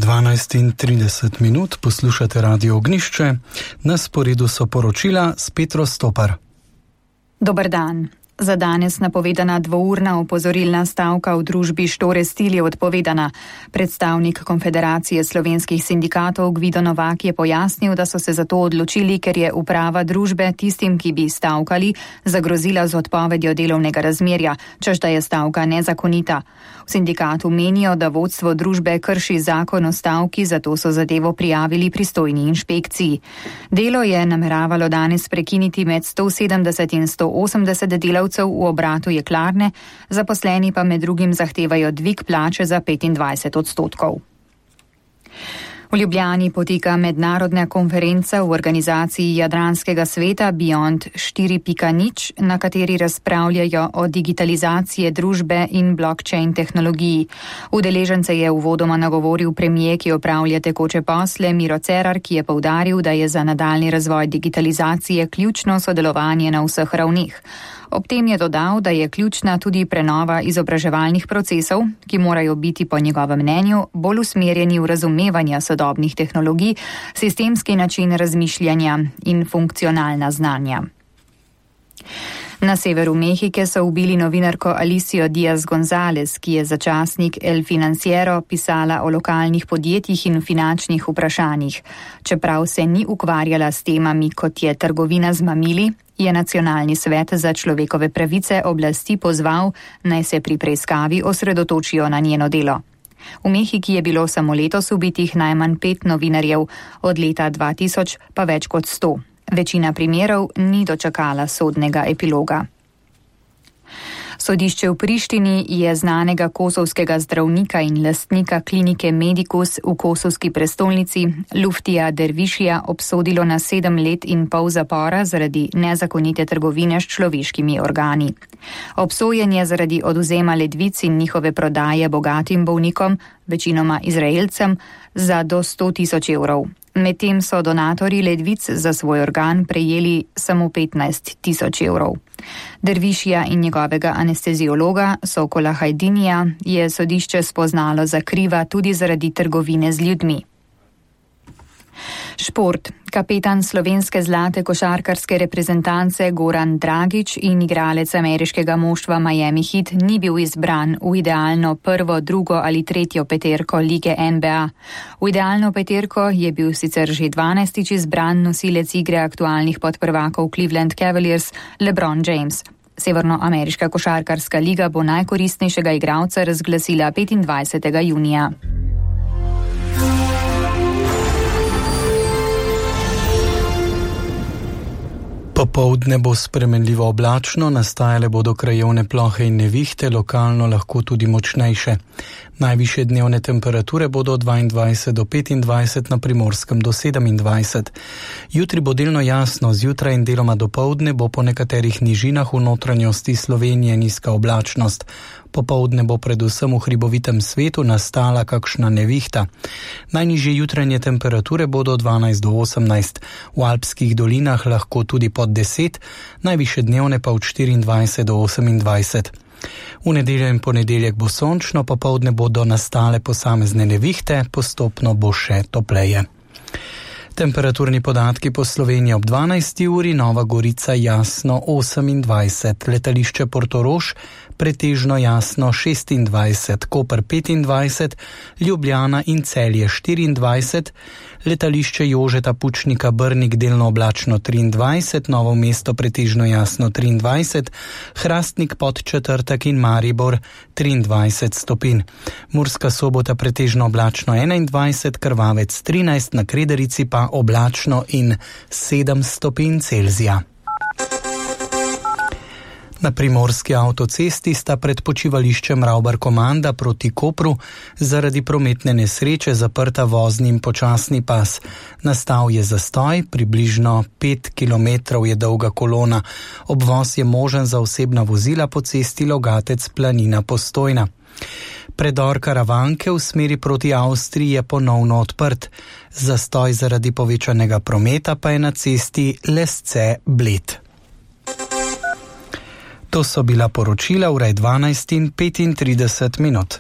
12:30, poslušate Radio Ognjišče, na sporedu so poročila s Petro Stopar. Dober dan. Za danes napovedana dvourna opozorilna stavka v družbi Štore Stil je odpovedana. Predstavnik Konfederacije slovenskih sindikatov Gvido Novak je pojasnil, da so se za to odločili, ker je uprava družbe tistim, ki bi stavkali, zagrozila z odpovedjo delovnega razmerja, češ da je stavka nezakonita. V sindikatu menijo, da vodstvo družbe krši zakon o stavki, zato so zadevo prijavili pristojni inšpekciji. Delo je nameravalo danes prekiniti med 170 in 180 delavcev v obratu jeklarne, zaposleni pa med drugim zahtevajo dvig plače za 25%. V Ljubljani poteka mednarodna konferenca v organizaciji Jadranskega sveta Beyond 4.0, na kateri razpravljajo o digitalizaciji družbe in blockchain tehnologiji. Udeležence je uvodoma nagovoril premier, ki opravlja tekoče posle, Miro Cerar, ki je poudaril, da je za nadaljnji razvoj digitalizacije ključno sodelovanje na vseh ravneh. Ob tem je dodal, da je ključna tudi prenova izobraževalnih procesov, ki morajo biti po njegovem mnenju bolj usmerjeni v razumevanje sodobnih tehnologij, sistemski način razmišljanja in funkcionalna znanja. Na severu Mehike so ubili novinarko Alicio Diaz González, ki je za časnik El Financiero pisala o lokalnih podjetjih in finančnih vprašanjih. Čeprav se ni ukvarjala s temami, kot je trgovina z mamili, je Nacionalni svet za človekove pravice oblasti pozval, naj se pri preiskavi osredotočijo na njeno delo. V Mehiki je bilo samo letos ubitih najmanj 5 novinarjev, od leta 2000 pa več kot 100. Večina primerov ni dočakala sodnega epiloga. Sodišče v Prištini je znanega kosovskega zdravnika in lastnika klinike Medicus v kosovski prestolnici Luftija Dervišija obsodilo na 7 let in pol zapora zaradi nezakonite trgovine s človeškimi organi. Obsojen je zaradi odvzema ledvic in njihove prodaje bogatim bolnikom, večinoma Izraelcem, za do 100.000 evrov. Medtem so donatorji ledvic za svoj organ prejeli samo 15.000 evrov. Dervišija in njegovega anesteziologa Sokola Hajdinija je sodišče spoznalo za kriva tudi zaradi trgovine z ljudmi. Šport. Kapetan slovenske zlate košarkarske reprezentance Goran Dragić in igralec ameriškega moštva Miami Heat ni bil izbran v idealno prvo, drugo ali tretjo peterko lige NBA. V idealno peterko je bil sicer že 12. izbran nosilec igre aktualnih podprvakov Cleveland Cavaliers LeBron James. Severnoameriška košarkarska liga bo najkoristnejšega igralca razglasila 25. junija. Popoldne bo spremenljivo oblačno, nastajale bodo krajevne plohe in nevihte, lokalno lahko tudi močnejše. Najvišje dnevne temperature bodo od 22 do 25, na Primorskem do 27. Jutri bo delno jasno, zjutraj in deloma dopoldne bo po nekaterih nižinah v notranjosti Slovenije nizka oblačnost. Popoldne bo predvsem v hribovitem svetu nastala kakšna nevihta. Najnižje jutranje temperature bodo 12 do 18, v alpskih dolinah lahko tudi pod 10, najvišje dnevne pa od 24 do 28. V nedeljo in ponedeljek bo sončno, popoldne bodo nastale posamezne nevihte, postopno bo še topleje. Temperaturni podatki po Sloveniji ob 12. uri, Nova Gorica jasno 28, letališče Portorož pretežno jasno 26, Koper 25, Ljubljana in Celje 24, letališče Jožeta Pučnika Brnik delno oblačno 23, Novo mesto pretežno jasno 23, Hrastnik Podčetrtek in Maribor 23 stopinj. Murska Sobota pretežno oblačno 21, Krvavec 13, na Krederici pa oblačno in 7 stopinj Celzija. Na primorski avtocesti sta pred počivališčem Ravbar-Komanda proti Kopru zaradi prometne nesreče zaprta vozni in počasni pas. Nastal je zastoj, približno 5 km je dolga kolona. Obvoz je možen za osebna vozila po cesti Logatec-Planina-Postojna. Predor Karavanke v smeri proti Avstriji je ponovno odprt. Zastoj zaradi povečanega prometa pa je na cesti Lesce-Bled. To so bila poročila ure 12:35.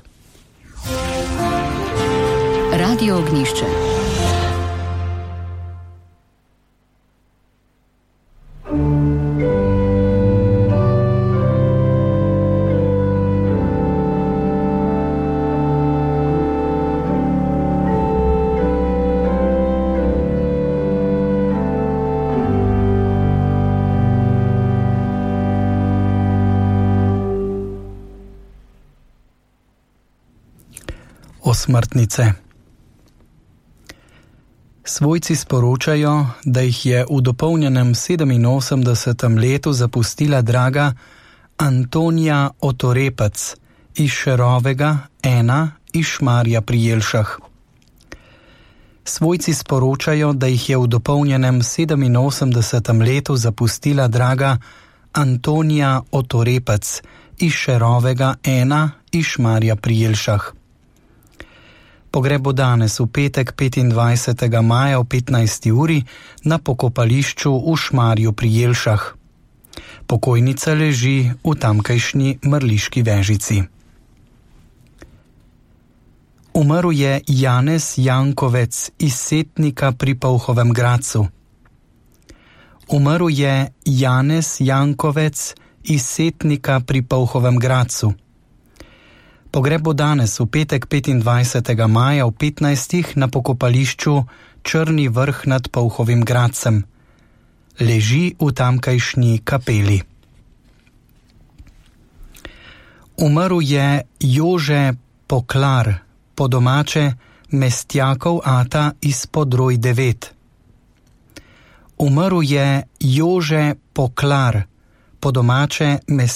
Radio Ognjišče. Osmrtnice. Svojci sporočajo, da jih je v dopolnjenem 87. letu zapustila draga Antonija Otorepec iz Šerovega 1 iz Šmarja pri Jelšah. Svojci sporočajo, da jih je v dopolnjenem 87. letu zapustila draga Antonija Otorepec iz Šerovega 1 iz Šmarja pri Jelšah. Pogreb bo danes v petek 25. maja o 15. uri na pokopališču v Šmarju pri Jelšah. Pokojnica leži v tamkajšnji Mrliški Vežici. Umrl je Janez Jankovec iz Setnika pri Polhovem Gradcu. Umrl je Janez Jankovec iz Setnika pri Polhovem Gradcu. Pogreb bo danes v petek 25. maja v 15. na pokopališču Črni vrh nad Polhovim Gradcem. Leži v tamkajšnji kapeli. Umrl je Jože Poklar, po domače Mestjakov ata iz Podroj 9. Umrl je Jože Poklar, po domače Mestjakov